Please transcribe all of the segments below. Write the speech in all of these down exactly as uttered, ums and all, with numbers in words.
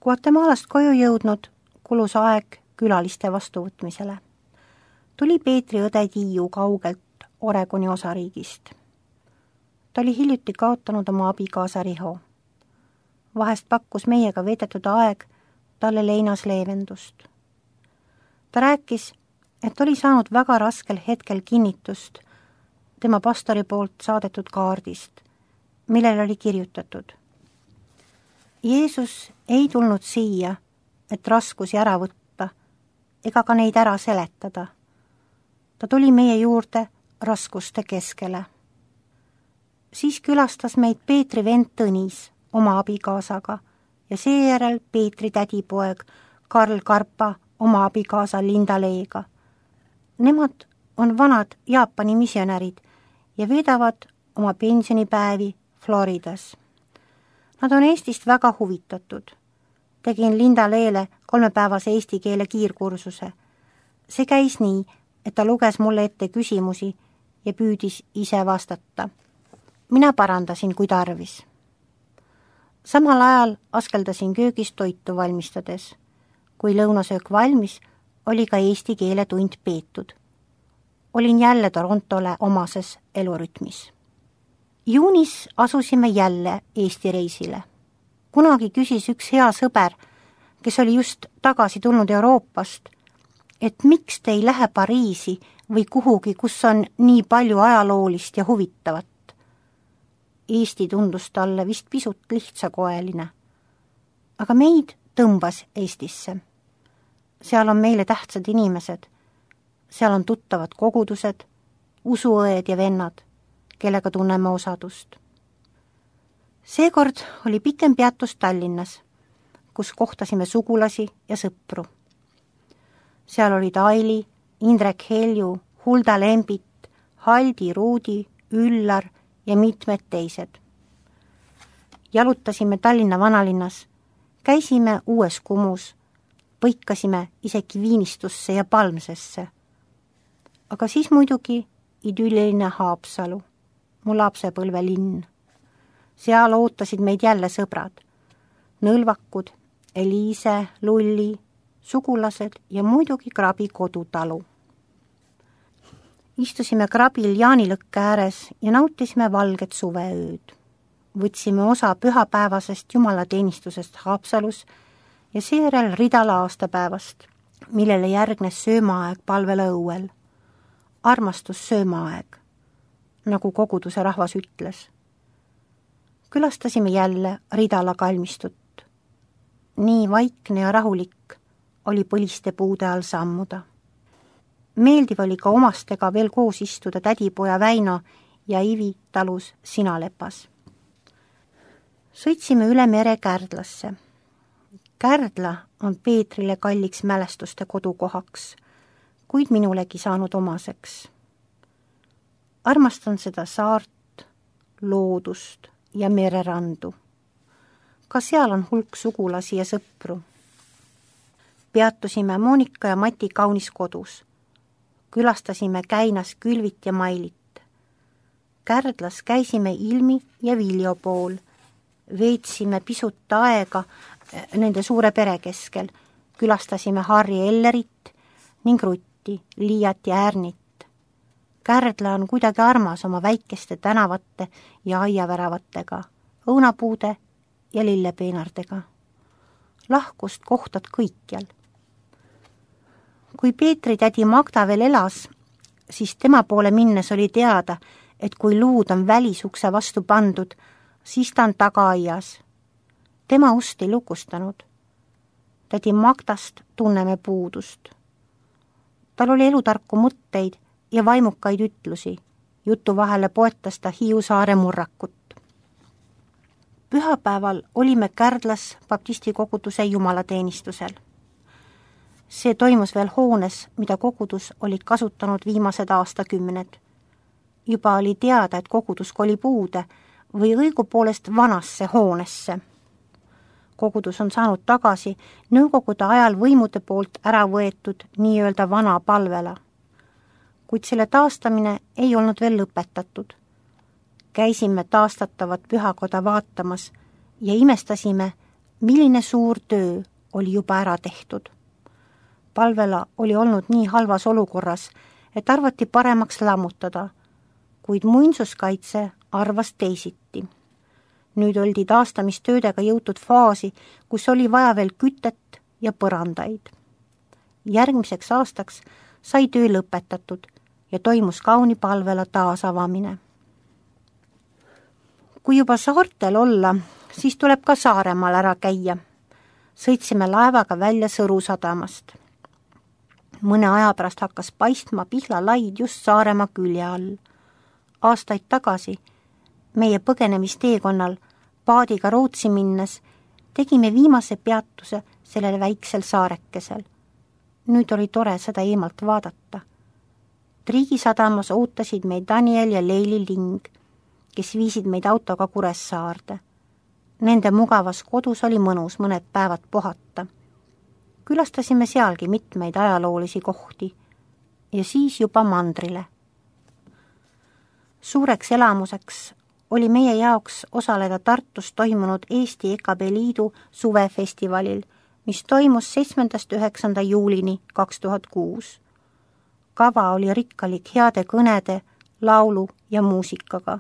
Guatemalast koju jõudnud kulus aeg külaliste vastuvõtmisele. Tuli Peetri õde Tiiu kaugelt Oregoni osariigist. Ta oli hiljuti kaotanud oma abikaasa Riho. Vahest pakkus meiega veedetud aeg talle leinas leevendust. Ta rääkis, et oli saanud väga raskel hetkel kinnitust tema pastori poolt saadetud kaardist, millel oli kirjutatud: Jeesus ei tulnud siia, et raskusi ära võtta ega ka neid ära seletada. Ta tuli meie juurde raskuste keskele. Siis külastas meid Peetri vend Tõnis oma abikaasaga ja seejärel Peetri tädipoeg Karl Karpa oma abikaasa Linda Leega. Nemad on vanad Jaapani misionärid ja veedavad oma pensionipäevi Floridas. Nad on Eestist väga huvitatud. Tegin Linda Leele kolmepäevase eesti keele kiirkursuse. See käis nii, et ta luges mulle ette küsimusi ja püüdis ise vastata. Mina parandasin, kui tarvis. Samal ajal askeldasin köögis toitu valmistades. Kui lõunasöök valmis, oli ka eesti keele tund peetud. Olin jälle Torontole omases elurütmis. Juunis asusime jälle Eesti reisile. Kunagi küsis üks hea sõber, kes oli just tagasi tulnud Euroopast, et miks te ei lähe Pariisi või kuhugi, kus on nii palju ajaloolist ja huvitavat. Eesti tundus talle vist pisut lihtsakoeline. Aga meid tõmbas Eestisse. Seal on meile tähtsad inimesed. Seal on tuttavad kogudused, usuõed ja vennad, kellega tunneme osadust. Seekord oli pikem peatus Tallinnas, kus kohtasime sugulasi ja sõpru. Seal olid Aili, Indrek Helju, Hulda Lembit, Haldi, Ruudi, Üllar ja mitmed teised. Jalutasime Tallinna vanalinnas, käisime Uues Kumus, põikasime isegi Viinistusse ja Palmsesse. Aga siis muidugi idülliline Haapsalu, mu lapsepõlve linn. Seal ootasid meid jälle sõbrad, Nõlvakud, Eliise, Lulli, sugulased ja muidugi Krabi kodutalu. Istusime Krabil jaanilõkke ääres ja nautisime valget suveööd. Võtsime osa pühapäevasest jumalateenistusest Haapsalus ja seejärel Ridala aastapäevast, millele järgnes söömaaeg palvele õuel. Armastus söömaaeg, nagu koguduse rahvas ütles. Külastasime jälle Ridala kalmistut. Nii vaikne ja rahulik oli põliste puude all sammuda. Meeldiv oli ka omastega veel koos istuda tädipoja Väino ja Ivi talus Sinalepas. Sõitsime üle mere Kärdlasse. Kärdla on Peetrile kalliks mälestuste kodukohaks, kuid minulegi saanud omaseks. Armastan seda saart, loodust ja mererandu. Ka seal on hulk sugulasi ja sõpru. Peatusime Monika ja Mati kaunis kodus. Külastasime Käinas Külvit ja Mailit. Kärdlas käisime Ilmi ja Viljo pool. Veetsime pisut aega nende suure pere keskel. Külastasime Harri Ellerit ning Rutti, Liiat ja Ärnit. Kärdla on kuidagi armas oma väikeste tänavate ja aiaväravatega, õunapuude ja lillepeenardega. Lahkust kohtad kõikjal. Kui Peetri tädi Magda veel elas, siis tema poole minnes oli teada, et kui luud on välisukse vastu pandud, siis ta on tagaaias. Tema ust ei lukustanud. Tädi Magdast tunneme puudust. Tal oli elutarku mõtteid ja vaimukaid ütlusi. Jutu vahele poetas ta Hiiu saare murrakut. Pühapäeval olime Kärdlas baptisti koguduse jumalateenistusel. See toimus veel hoones, mida kogudus olid kasutanud viimased aastakümned. Juba oli teada, et kogudus kolib uude või õigupoolest vanasse hoonesse. Kogudus on saanud tagasi nõukogude ajal võimude poolt ära võetud nii-öelda vana palvela. Kuid selle taastamine ei olnud veel lõpetatud. Käisime taastatavat pühakoda vaatamas ja imestasime, milline suur töö oli juba ära tehtud. Palvela oli olnud nii halvas olukorras, et arvati paremaks lammutada, kuid muinsuskaitse arvas teisiti. Nüüd oldi taastamistöödega jõutud faasi, kus oli vaja veel kütet ja põrandaid. Järgmiseks aastaks sai töö lõpetatud ja toimus kauni Palvela taasavamine. Kui juba saartel olla, siis tuleb ka Saaremaal ära käia. Sõitsime laevaga välja Sõru sadamast. Mõne aja pärast hakkas paistma Pihla laid just Saaremaa külje all. Aastaid tagasi meie põgenemisteekonnal paadiga Rootsi minnes tegime viimase peatuse sellel väiksel saarekesel. Nüüd oli tore seda eemalt vaadata. Triigi sadamas ootasid meid Daniel ja Leili Ling, kes viisid meid autoga Kuressaarde. Nende mugavas kodus oli mõnus mõned päevad puhata. Külastasime sealgi mitmeid ajaloolisi kohti ja siis juba mandrile. Suureks elamuseks oli meie jaoks osaleda Tartus toimunud Eesti E K B Liidu suvefestivalil, mis toimus seitsmendast üheksanda juulini kaks tuhat kuus. Kava oli rikkalik heade kõnede, laulu ja muusikaga.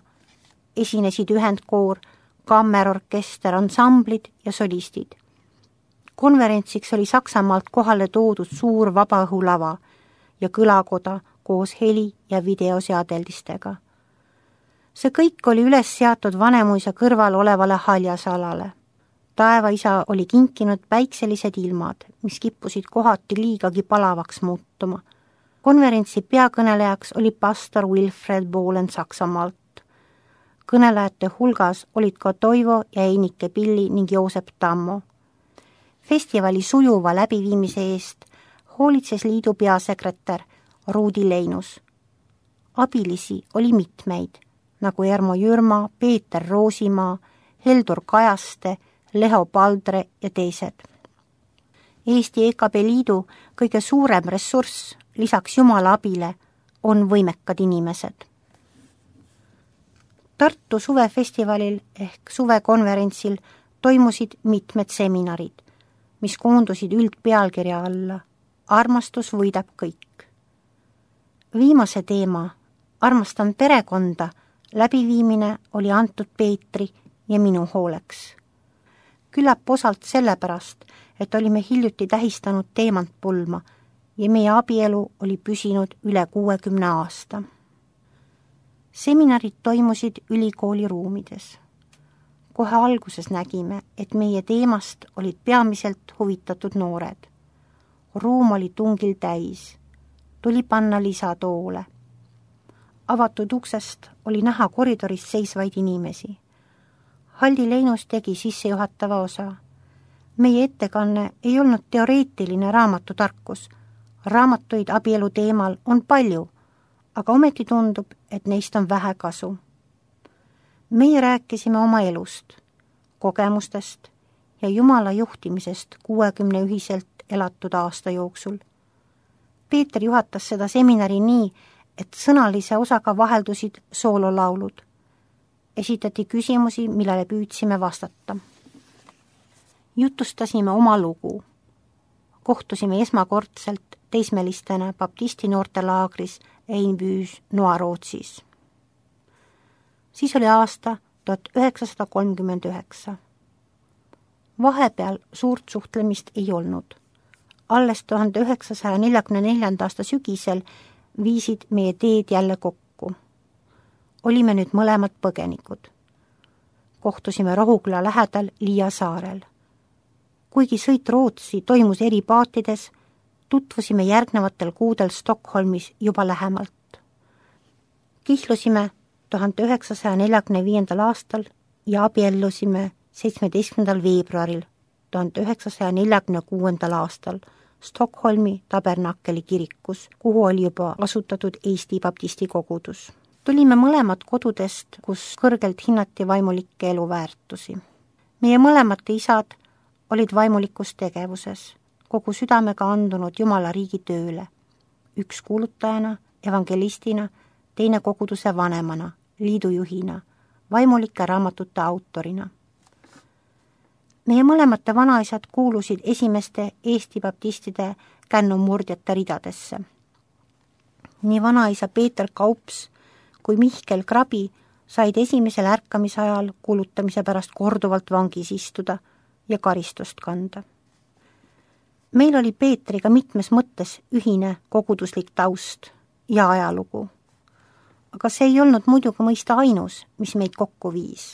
Esinesid ühendkoor, kammerorkester, ansamblid ja solistid. Konverentsiks oli Saksamaalt kohale toodud suur vabaõhulava ja kõlakoda koos heli- ja videoseadeldistega. See kõik oli üles seatud Vanemuisa kõrval olevale haljasalale. Taevaisa oli kinkinud päikselised ilmad, mis kippusid kohati liigagi palavaks muutuma. Konverentsi peakõnelejaks oli pastor Wilfred Bohlen Saksamaalt. Kõnelejate hulgas olid ka Toivo ja Einike Pilli ning Joosep Tammo. Festivali sujuva läbiviimise eest hoolitses liidu peasekretär Ruudi Leinus. Abilisi oli mitmeid, nagu Ermo Jürma, Peeter Roosimaa, Heldur Kajaste, Leho Paldre ja teised. Eesti E K B Liidu kõige suurem ressurss lisaks Jumala abile on võimekad inimesed. Tartu suvefestivalil ehk suvekonverentsil toimusid mitmed seminarid, mis koondusid üldpealkirja alla Armastus võidab kõik. Viimase teema, Armastan perekonda, läbiviimine oli antud Peetri ja minu hooleks. Küllap osalt sellepärast, et olime hiljuti tähistanud teemantpulma ja meie abielu oli püsinud üle kuuekümne aasta. Seminarid toimusid ülikooli ruumides. Kohe alguses nägime, et meie teemast olid peamiselt huvitatud noored. Ruum oli tungil täis. Tuli panna lisatoole. Avatud uksest oli näha koridoris seisvaid inimesi. Haldi Leinus tegi sissejuhatava osa. Meie ettekanne ei olnud teoreetiline raamatutarkus. Raamatuid abielu teemal on palju, aga ometi tundub, et neist on vähe kasu. Meie rääkisime oma elust, kogemustest ja Jumala juhtimisest kuuekümne ühiselt elatud aasta jooksul. Peeter juhatas seda seminari nii, et sõnalise osaga vaheldusid soololaulud. Esitati küsimusi, millele püüdsime vastata. Jutustasime oma lugu. Kohtusime esmakordselt teismelistena baptisti noortelaagris Einbüs Noa-Rootsis. Siis oli aasta tuhat üheksasada kolmkümmend üheksa. Vahepeal suurt suhtlemist ei olnud. Alles tuhande üheksasaja neljakümne neljanda aasta sügisel viisid meie teed jälle kokku. Olime nüüd mõlemad põgenikud. Kohtusime Rohuküla lähedal Liia saarel. Kuigi sõit Rootsi toimus eri paatides, tutvusime järgnevatel kuudel Stockholmis juba lähemalt. Kihlusime tuhande üheksasaja neljakümne viiendal aastal ja abiellusime seitsmeteistkümnendal veebruaril tuhande üheksasaja neljakümne kuuendal aastal Stockholmi Tabernakeli kirikus, kuhu oli juba asutatud Eesti baptisti kogudus. Tulime mõlemad kodudest, kus kõrgelt hinnati vaimulikke eluväärtusi. Meie mõlemate isad olid vaimulikus tegevuses, kogu südamega andunud Jumala riigi tööle. Üks kuulutajana, evangelistina, teine koguduse vanemana, liidujuhina, vaimulike raamatute autorina. meie mõlemate vanaisad kuulusid esimeste Eesti baptistide kännumurdjate ridadesse. Nii vanaisa Peeter Kaups kui Mihkel Krabi said esimesel ärkamise ajal kuulutamise pärast korduvalt vangis istuda ja karistust kanda. Meil oli Peetriga mitmes mõttes ühine koguduslik taust ja ajalugu, aga see ei olnud muidugi mõista ainus, mis meid kokku viis.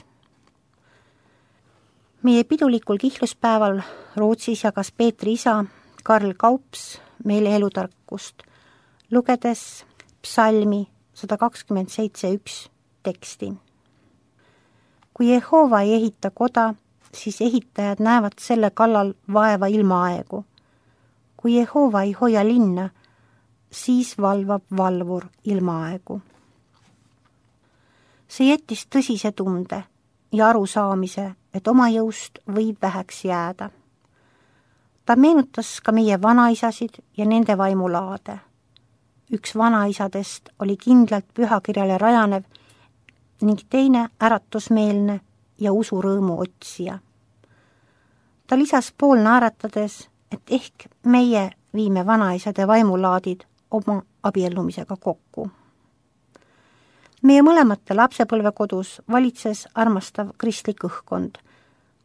Meie pidulikul kihluspäeval Rootsis jagas Peetri isa Karl Kaups meile elutarkust, lugedes psalmi sada kakskümmend seitse üks teksti. Kui Jehova ei ehita koda, siis ehitajad näevad selle kallal vaeva ilmaaegu. Kui Jehova ei hoia linna, siis valvab valvur ilmaaegu. See jättis tõsise tunde ja arusaamise, et oma jõust võib väheks jääda. Ta meenutas ka meie vanaisasid ja nende vaimulaade. Üks vanaisadest oli kindlalt pühakirjale rajanev ning teine äratusmeelne ja usurõõmu otsija. Ta lisas pool naeratades, et ehk meie viime vanaisade vaimulaadid oma abiellumisega kokku. Meie mõlemate lapsepõlvekodus valitses armastav kristlik õhkkond,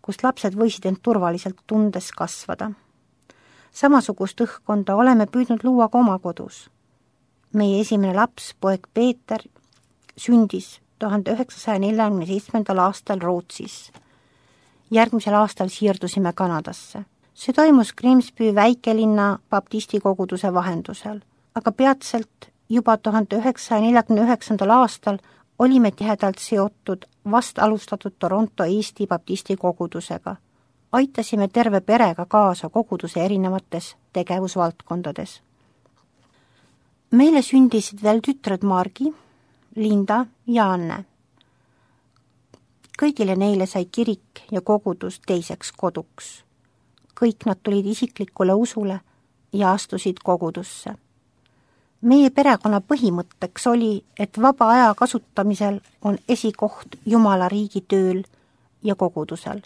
kus lapsed võisid end turvaliselt tundes kasvada. Samasugust õhkkonda oleme püüdnud luua ka oma kodus. Meie esimene laps, poeg Peeter, sündis tuhande üheksasaja neljakümne seitsmendal aastal Rootsis. Järgmisel aastal siirdusime Kanadasse. See toimus Grimsby väikelinna baptisti koguduse vahendusel, aga peatselt juba tuhande üheksasaja neljakümne üheksandal aastal olime tihedalt seotud vast alustatud Toronto Eesti baptisti kogudusega. Aitasime terve perega kaasa koguduse erinevates tegevusvaldkondades. Meile sündisid veel tütred Margi, Linda ja Anne. Kõigile neile sai kirik ja kogudus teiseks koduks. Kõik nad tulid isiklikule usule ja astusid kogudusse. Meie perekonna põhimõtteks oli, et vaba aja kasutamisel on esikoht Jumala riigi tööl ja kogudusel.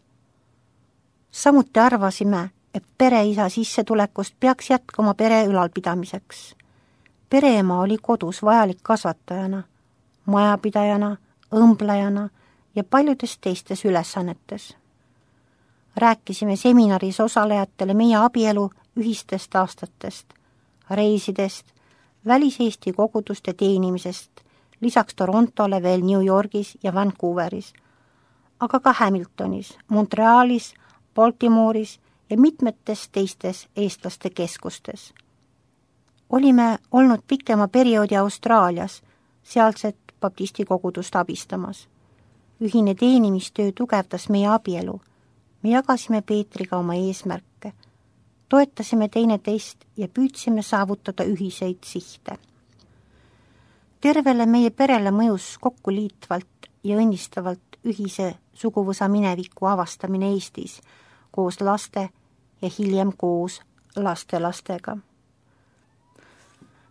Samuti arvasime, et pereisa sissetulekust peaks jätkama pere ülalpidamiseks. Pereema oli kodus vajalik kasvatajana, majapidajana, õmblejana ja paljudes teistes ülesannetes. Rääkisime seminaris osalejatele meie abielu ühistest aastatest, reisidest, väliseesti koguduste teenimisest, lisaks Torontole veel New Yorgis ja Vancouveris, aga ka Hamiltonis, Montrealis, Baltimore'is ja mitmetes teistes eestlaste keskustes. Olime olnud pikema perioodi Austraalias, sealset baptisti kogudust abistamas. Ühine teenimistöö tugevdas meie abielu. Me jagasime Peetriga oma eesmärke, toetasime teineteist ja püüdsime saavutada ühiseid sihte. Tervele meie perele mõjus kokku liitvalt ja õnnistavalt ühise suguvõsa mineviku avastamine Eestis koos laste ja hiljem koos lastelastega.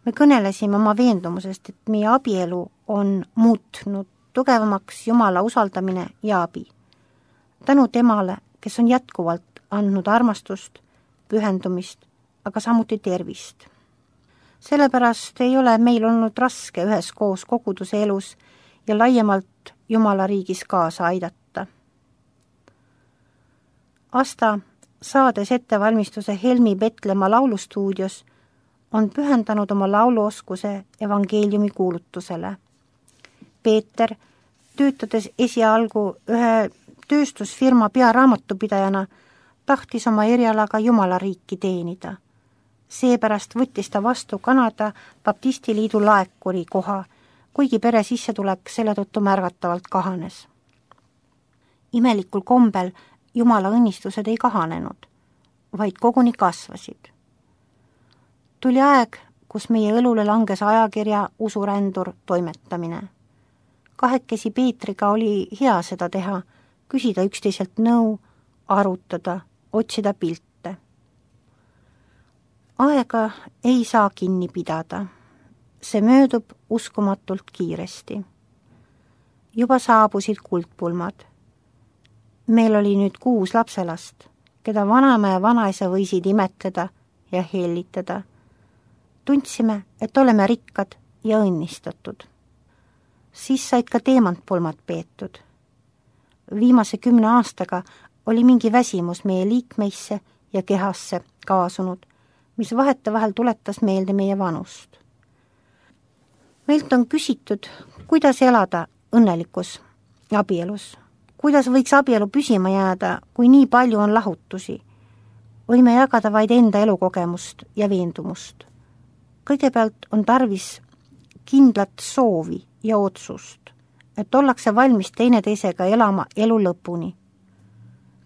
Me kõnelesime oma veendumusest, et meie abielu on muutnud tugevamaks Jumala usaldamine ja abi. Tänu temale, kes on jätkuvalt andnud armastust, pühendumist, aga samuti tervist. Sellepärast ei ole meil olnud raske üheskoos koguduse elus ja laiemalt Jumala riigis kaasa aidata. Asta, saades ettevalmistuse Helmi Petlemma laulustuudios, on pühendanud oma lauluoskuse evangeeliumi kuulutusele. Peeter, töötades esialgu ühe tööstusfirma pearaamatupidajana, tahtis oma erialaga Jumala riiki teenida. Seepärast võttis ta vastu Kanada Baptistiliidu laekuri koha, kuigi pere sissetulek selle tõttu märgatavalt kahanes. Imelikul kombel Jumala õnnistused ei kahanenud, vaid koguni kasvasid. Tuli aeg, kus meie õlule langes ajakirja Usurändur toimetamine. Kahekesi Peetriga oli hea seda teha, küsida üksteiselt nõu, arutada, otsida pilte. Aega ei saa kinni pidada. See möödub uskumatult kiiresti. Juba saabusid kuldpulmad. Meil oli nüüd kuus lapselast, keda vanaema ja vanaisa võisid imetleda ja hellitada. Tundsime, et oleme rikkad ja õnnistatud. Siis said ka teemantpulmad peetud. Viimase kümne aastaga oli mingi väsimus meie liikmeisse ja kehasse kaasunud, mis vahetevahel tuletas meelde meie vanust. Meilt on küsitud, kuidas elada õnnelikus abielus, kuidas võiks abielu püsima jääda, kui nii palju on lahutusi. Võime jagada vaid enda elukogemust ja veendumust. Kõigepealt on tarvis kindlat soovi ja otsust, et ollakse valmis teineteisega elama elu lõpuni.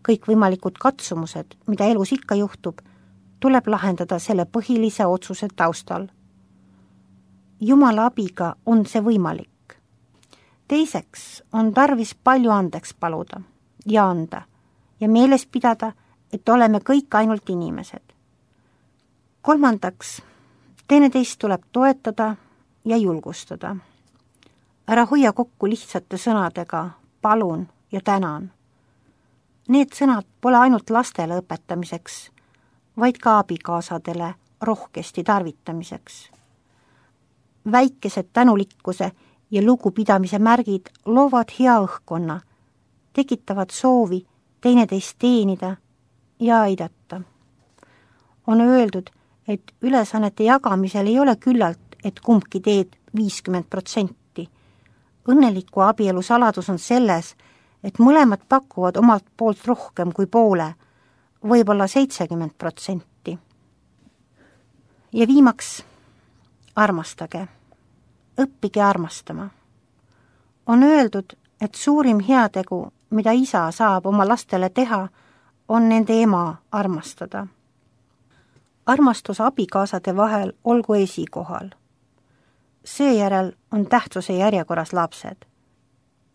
Kõik võimalikud katsumused, mida elus ikka juhtub, tuleb lahendada selle põhilise otsuse taustal. Jumala abiga on see võimalik. Teiseks on tarvis palju andeks paluda ja anda ja meeles pidada, et oleme kõik ainult inimesed. Kolmandaks, teineteist tuleb toetada ja julgustada. Ära hoia kokku lihtsate sõnadega palun ja tänan. Need sõnad pole ainult lastele õpetamiseks, vaid ka abikaasadele rohkesti tarvitamiseks. Väikesed tänulikkuse ja lugupidamise märgid loovad hea õhkkonna, tekitavad soovi teineteist teenida ja aidata. On öeldud, et ülesannete jagamisel ei ole küllalt, et kumbki teed viiskümmend protsenti. Õnneliku abielu saladus on selles, et mõlemad pakuvad omalt poolt rohkem kui poole, võib-olla seitsekümmend protsenti. Ja viimaks, armastage. Õppige armastama. On öeldud, et suurim heategu, mida isa saab oma lastele teha, on nende ema armastada. Armastus abikaasade vahel olgu esikohal. Seejärel on tähtsuse järjekorras lapsed.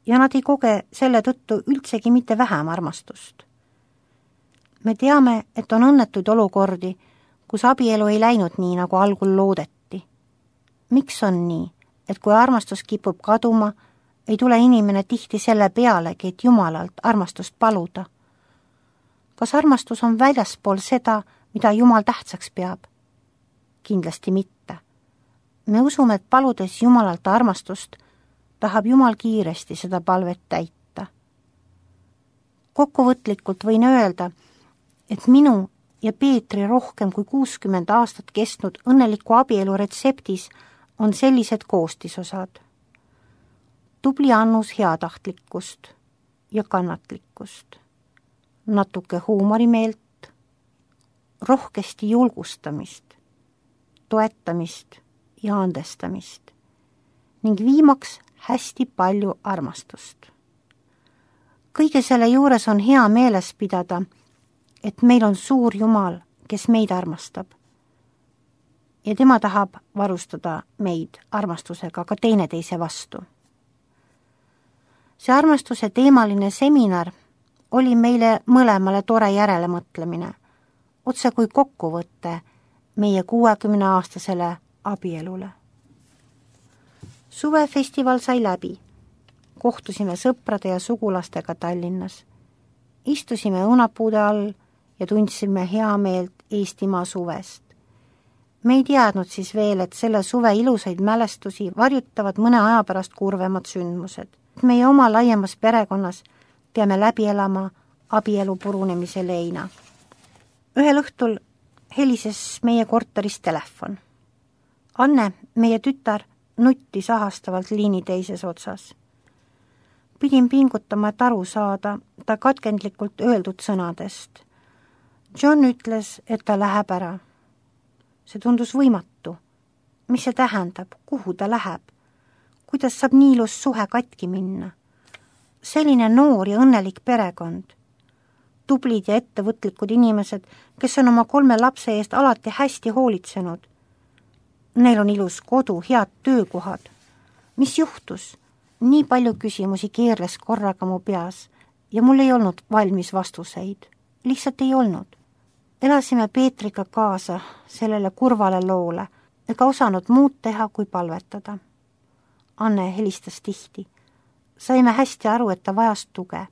Ja nad ei koge selle tõttu üldsegi mitte vähem armastust. Me teame, et on õnnetuid olukordi, kus abielu ei läinud nii, nagu algul loodeti. Miks on nii, et kui armastus kipub kaduma, ei tule inimene tihti selle pealegi, et Jumalalt armastust paluda? Kas armastus on väljaspool seda, mida Jumal tähtsaks peab? Kindlasti mitte. Me usume, et paludes Jumalalt armastust, tahab Jumal kiiresti seda palvet täita. Kokkuvõtlikult võin öelda, et minu ja Peetri rohkem kui kuuskümmend aastat kestnud õnneliku abielu retseptis on sellised koostisosad. Tubli annus heatahtlikkust ja kannatlikkust, natuke huumorimeelt, rohkesti julgustamist, toetamist ja andestamist ning viimaks hästi palju armastust. Kõige selle juures on hea meeles pidada, et meil on suur Jumal, kes meid armastab. Ja tema tahab varustada meid armastusega ka teineteise vastu. See armastuse teemaline seminar oli meile mõlemale tore järelemõtlemine, otse kui kokkuvõte meie kuuekümneaastasele abielule. Suvefestival sai läbi. Kohtusime sõprade ja sugulastega Tallinnas. Istusime õunapuude all ja tundsime hea meelt Eestimaa suvest. Me ei teadnud siis veel, et selle suve ilusaid mälestusi varjutavad mõne aja pärast kurvemad sündmused. Meie oma laiemas perekonnas peame läbi elama abielu purunemise leina. Ühel õhtul helises meie korteris telefon. Anne, meie tütar, nuttis ahastavalt liini teises otsas. Pidin pingutama, et aru saada ta katkendlikult öeldud sõnadest. John ütles, et ta läheb ära. See tundus võimatu. Mis see tähendab? Kuhu ta läheb? Kuidas saab nii ilus suhe katki minna? Selline noor ja õnnelik perekond. Tublid ja ettevõtlikud inimesed, kes on oma kolme lapse eest alati hästi hoolitsenud. Neil on ilus kodu, head töökohad. Mis juhtus? Nii palju küsimusi keerles korraga mu peas ja mul ei olnud valmis vastuseid. Lihtsalt ei olnud. Elasime Peetriga kaasa sellele kurvale loole ega osanud muud teha kui palvetada. Anne helistas tihti. Saime hästi aru, et ta vajas tuge.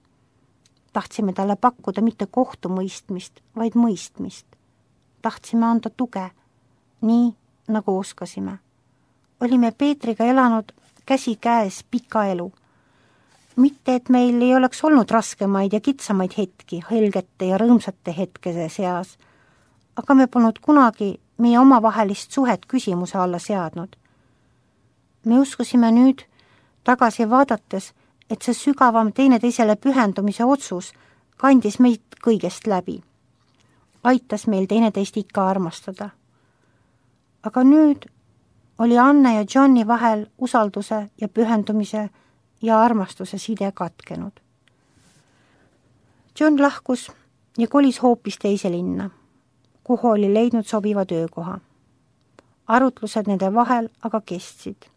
tahtsime talle pakkuda mitte kohtumõistmist, vaid mõistmist. Tahtsime anda tuge, nii nagu oskasime. Olime Peetriga elanud käsi käes pika elu. Mitte, et meil ei oleks olnud raskemaid ja kitsamaid hetki helgete ja rõõmsate hetkese seas, aga me polnud kunagi meie omavahelist suhet küsimuse alla seadnud. Me uskusime nüüd tagasi vaadates, et see sügavam teineteisele pühendumise otsus kandis meid kõigest läbi. Aitas meil teineteist ikka armastada. Aga nüüd oli Anne ja Johni vahel usalduse ja pühendumise ja armastuse side katkenud. John lahkus ja kolis hoopis teise linna, kuhu oli leidnud sobiva töökoha. Arutlused nende vahel aga kestsid.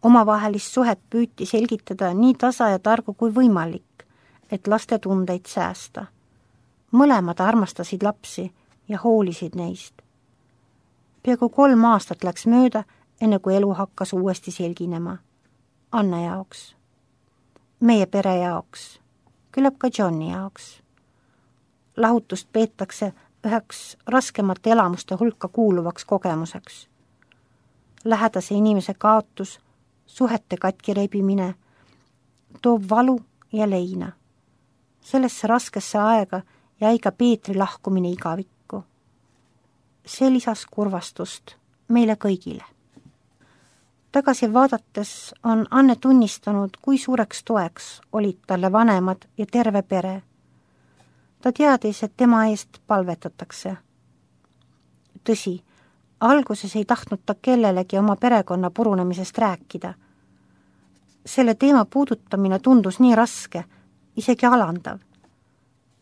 Omavahelist suhet püüti selgitada nii tasa ja targu kui võimalik, et laste tundeid säästa. Mõlemad armastasid lapsi ja hoolisid neist. Peaaegu kolm aastat läks mööda, enne kui elu hakkas uuesti selginema. Anne jaoks, meie pere jaoks, küllap ka Johni jaoks. Lahutust peetakse üheks raskemate elamuste hulka kuuluvaks kogemuseks. Lähedase inimese kaotus, suhete katki rebimine, toob valu ja leina. Sellesse raskesse aega jäi ka Peetri lahkumine igavikku. See lisas kurvastust meile kõigile. Tagasi vaadates on Anne tunnistanud, kui suureks toeks olid talle vanemad ja terve pere. Ta teadis, et tema eest palvetatakse. Tõsi, alguses ei tahtnud ta kellelegi oma perekonna purunemisest rääkida. Selle teema puudutamine tundus nii raske, isegi alandav.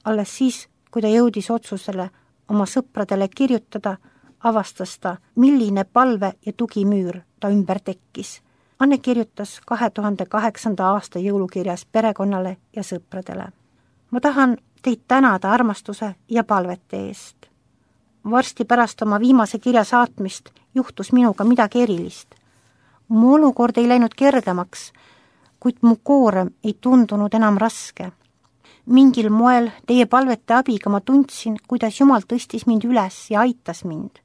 Alles siis, kui ta jõudis otsusele oma sõpradele kirjutada, avastas ta, milline palve ja tugimüür ta ümber tekkis. Anne kirjutas kahe tuhande kaheksanda aasta jõulukirjas perekonnale ja sõpradele. Ma tahan teid tänada armastuse ja palvete eest. Varsti pärast oma viimase kirja saatmist juhtus minuga midagi erilist. Mu olukord ei läinud kergemaks, kuid mu koorem ei tundunud enam raske. Mingil moel teie palvete abiga ma tundsin, kuidas Jumal tõstis mind üles ja aitas mind.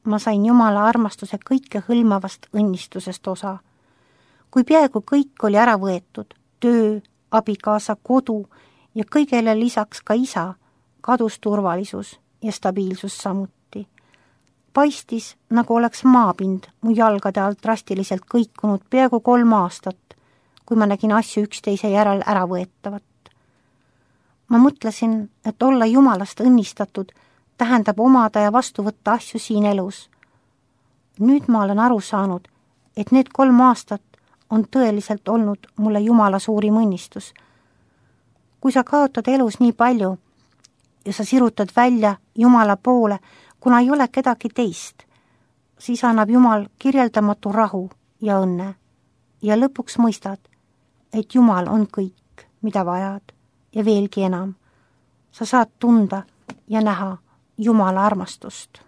Ma sain Jumala armastuse kõike hõlmavast õnnistusest osa. Kui peaaegu kõik oli ära võetud, töö, abikaasa, kodu ja kõigele lisaks ka isa, kadus turvalisus ja stabiilsus samuti. Paistis, nagu oleks maapind mu jalgade alt drastiliselt kõikunud peaaegu kolm aastat, kui ma nägin asju üksteise järel ära võetavat. Ma mõtlesin, et olla Jumalast õnnistatud tähendab omada ja vastu võtta asju siin elus. Nüüd ma olen aru saanud, et need kolm aastat on tõeliselt olnud mulle Jumala suurim õnnistus. Kui sa kaotad elus nii palju ja sa sirutad välja Jumala poole, kuna ei ole kedagi teist, siis annab Jumal kirjeldamatu rahu ja õnne ja lõpuks mõistad, et Jumal on kõik, mida vajad ja veelgi enam. Sa saad tunda ja näha Jumala armastust.